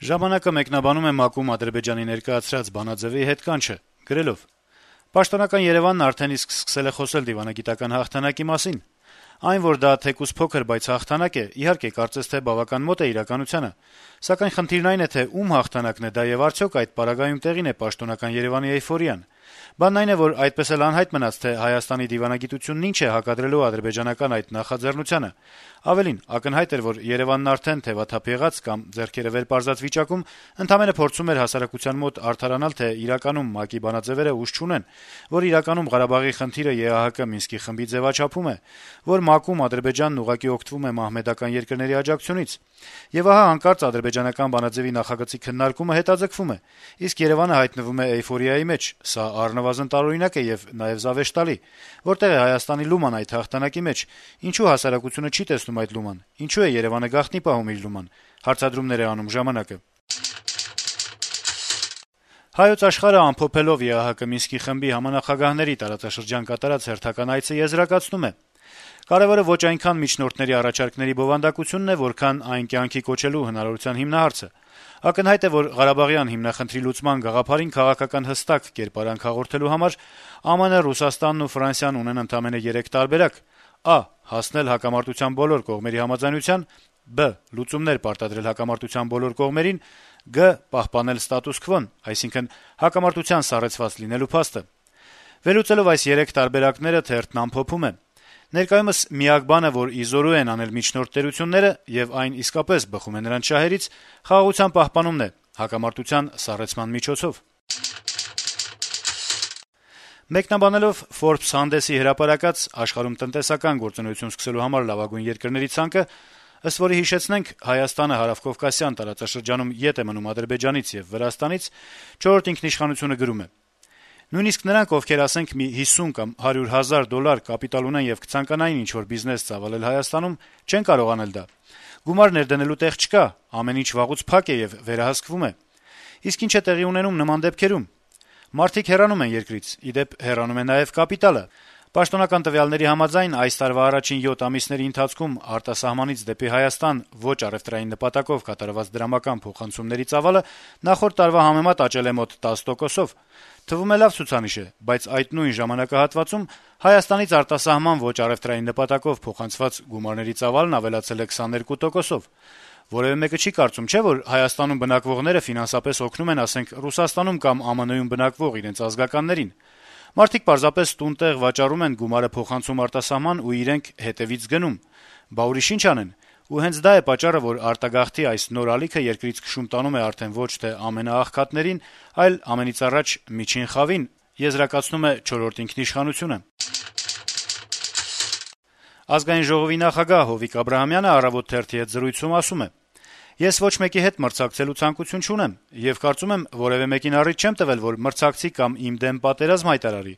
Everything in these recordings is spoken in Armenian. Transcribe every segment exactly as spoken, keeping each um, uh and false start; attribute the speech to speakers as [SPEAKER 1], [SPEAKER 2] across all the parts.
[SPEAKER 1] Ժամանակը մեկնաբանում է ՄԱԿ-ում Ադրբեջանի ներկայացրած բանաձեւի հետ կանչը, գրելով. - «Պաշտոնական Երեւանն արդեն իսկ սկսել է խոսել դիվանագիտական հաղթանակի մասին: Այն, որ դա թեկուզ փոքր, բայց հաղթանակ է, իհարկե, կարծես թե բավական մոտ է իրականությանը: Սակայն խնդիրն այն է, թե ում հաղթանակն է դա եւ արդյոք այդ պարագայում տեղին է պաշտոնական Երեւանի էյֆորիան: Բանն այն է, որ այդպես էլ անհայտ մնաց, թե Հայաստանի դիվանագիտությունն ինչ է հակադրելու ադրբեջանական այդ նախաձեռնությանը: Ավելին, ակնհայտ էր, որ Երեւանն արդեն թեւաթափ եղած կամ ձեռքերը վեր պարզած վիճակում ընդամենը փորձում էր հասարակության մոտ արդարանալ, թե իրականում ՄԱԿ-ի բանաձեւերը ուժ չունեն, որ իրականում Ղարաբաղի խնդիրը ԵԱՀԿ Մինսկի խմբի ձեւաչափում է, որ ՄԱԿ-ում Ադրբեջանն ուղղակի օգտվում է մահմեդական երկրների աջակցությունից: Եվ ահա հանկարծ ադրբեջանական բանաձեւի նախագծի քննարկումը հետաձգվում է, իսկ Երեւանը հայտնվում է էյֆորիայի մեջ: Սա առնվազն տարօրինակ է եւ նաեւ զավեշտալի: Որտե՞ղ է Հայաստանի լուման այդ հաղթանակի մեջ: Ինչո՞ւ հասարակությունը չի տեսնում այդ լուման: Ինչո՞ւ է Երեւանը գաղտնի պահում իր լուման»: Հարցադրումներ է անում «Ժամանակ»-ը: «Հայոց Աշխարհ»-ը, ամփոփելով ԵԱՀԿ Մինսկի խմբի համանախագահների տարածաշրջան կատարած հերթական այցը, եզրակացնում է. - «Կարեւորը ոչ այնքան միջնորդների առաջարկների բովանդակությունն է, որքան այն կյանքի կոչելու հնարավորության հիմնահարցը: Ակնհայտ է, որ Ղարաբաղյան հիմնախնդրի լուծման գաղափարին քաղաքական հստակ կերպարանք հաղորդելու համար ԱՄՆ, Ռուսաստանն ու Ֆրանսիան ունեն ընդամենը երեք տարբերակ. Ա. հասնել հակամարտության բոլոր կողմերի համաձայնության, Բ. լուծումներ պարտադրել հակամարտության բոլոր կողմերին, Գ. պահպանել ստատուս քվոն, այսինքն հակամարտության սառեցված լինելու փաստը: Վերլուծելով այս երեք տարբերակները` թերթն ամփոփում է. - «Ներկայումս միակ բանը, որ ի զորու են անել միջնորդ տերությունները, եւ այն իսկապես բխում է նրանց շահերից, խաղաղության պահպանումն է` հակամարտության սառեցման միջոցով»: Մեկնաբանելով Forbes հանդեսի հրապարակած աշխարհում տնտեսական գործունեություն սկսելու համար լավագույն երկրների ցանկը, ըստ որի, հիշեցնենք, Հայաստանը հարավկովկասյան տարածաշրջանում ետ է մնում Ադրբեջանից եւ Վրաստանից, «Չորրորդ ինքնիշխանություն»-ը գրում է. - «Նույնիսկ նրանք, ովքեր, ասենք, մի հիսուն կամ հարյուր հազար դոլար կապիտալ ունեն եւ կցանկանային ինչ-որ բիզնես ծավալել Հայաստանում, չեն կարող անել դա: Գումար ներդնելու տեղ չկա, ամեն ինչ վաղուց փակ է եւ վերահսկվում է: Իսկ ինչ է տեղի ունենում նման դեպքերում: Մարդիկ հեռանում են երկրից, ի դեպ, հեռանում է նաեւ կապիտալը: Պաշտոնական տվյալների համաձայն, այս տարվա առաջին յոթ ամիսների ընթացքում արտասահմանից դեպի Հայաստան ոչ առեւտրային նպատակով կատարված դրամական փոխանցումների ծավալը նախորդ տարվա համեմատ աճել է մոտ տասը տոկոսով: Թվում է լավ ցուցանիշ է, բայց այդ նույն ժամանակահատվածում Հայաստանից արտասահման ոչ առեւտրային նպատակով փոխանցված գումարների ծավալն ավելացել է քսաներկու տոկոսով: Որեւէ մեկը չի կարծում, չէ՞, որ Հայաստանում բնակվողները ֆինանսապես օգնում են, ասենք, Ռուսաստանում կամ ԱՄՆ-ում բնակվող իրենց ազգականներին: Մարդիկ պարզապես տուն-տեղ վաճառում են գումարը փոխանցում արտասահման ու իրենք հետեւից գնում: Բա ուրիշ ինչ անեն: Ու հենց դա է պատճառը, որ արտագաղթի այս նոր ալիքը երկրից քշում տանում է արդեն ոչ թե ամենաաղքատներին, այլ ամենից առաջ միջին խավին»: Ազգային ժողովի նախագահ Հովիկ Աբրահամյանը «Առավոտ» թերթի հետ զրույցում ասում է. - «Ես ոչ մեկի հետ մրցակցելու ցանկություն չունեմ եւ կարծում եմ, որեւէ մեկին առիթ չեմ տվել, որ մրցակցի կամ իմ դեմ պատերազմ հայտարարի: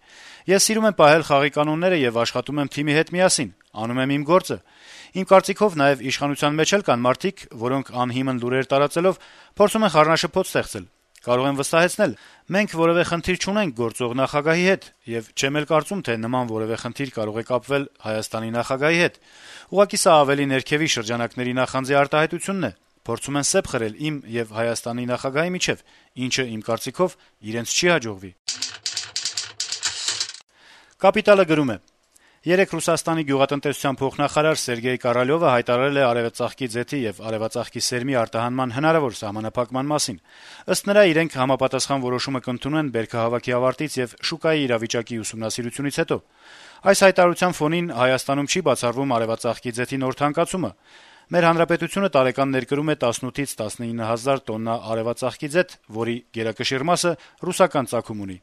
[SPEAKER 1] Ես սիրում եմ պահել խաղի կանոնները եւ աշխատում եմ թիմի հետ միասին, անում եմ իմ գործը: Իմ կարծիքով նաեւ իշխանության մեջ էլ կան մարդիկ, որոնք անհիմն լուրեր տարածելով փորձում են խառնաշփոթ ստեղծել: Կարող եմ վստահեցնել` մենք որեւէ խնդիր չունենք գործող նախագահի հետ, եւ չեմ էլ կարծում, թե նման որեւէ խնդիր կարող է կապվել Հայաստանի նախագահի հետ: Ուղղակի սա ավելի ներքեւի շրջանակների նախանձի արտահայտությունն է: Փորձում են սեպ խրել իմ եւ Հայաստանի նախագահի միջեւ, ինչը, իմ կարծիքով, իրենց չի հաջողվի»: «Կապիտալ»-ը գրում է. - «Երեկ Ռուսաստանի գյուղատնտեսության փոխնախարար Սերգեյ Կարալյովը հայտարարել է արեւածաղկի ձեթի եւ արեւածաղկի սերմի արտահանման հնարավոր սահմանափակման մասին: Ըստ նրա, իրենք համապատասխան որոշումը կընդունեն բերքահավաքի ավարտից եւ շուկայի իրավիճակի ուսումնասիրությունից հետո: Այս հայտարարության ֆոնին Հայաստանում չի բացառվում արեւածաղկի ձեթի նոր թանկացումը: Մեր հանրապետությունը տարեկան ներկրում է տասնութից տասնինը հազար տոննա արեւածաղկի ձեթ, որի գերակշիռ մասը ռուսական ծագում ունի: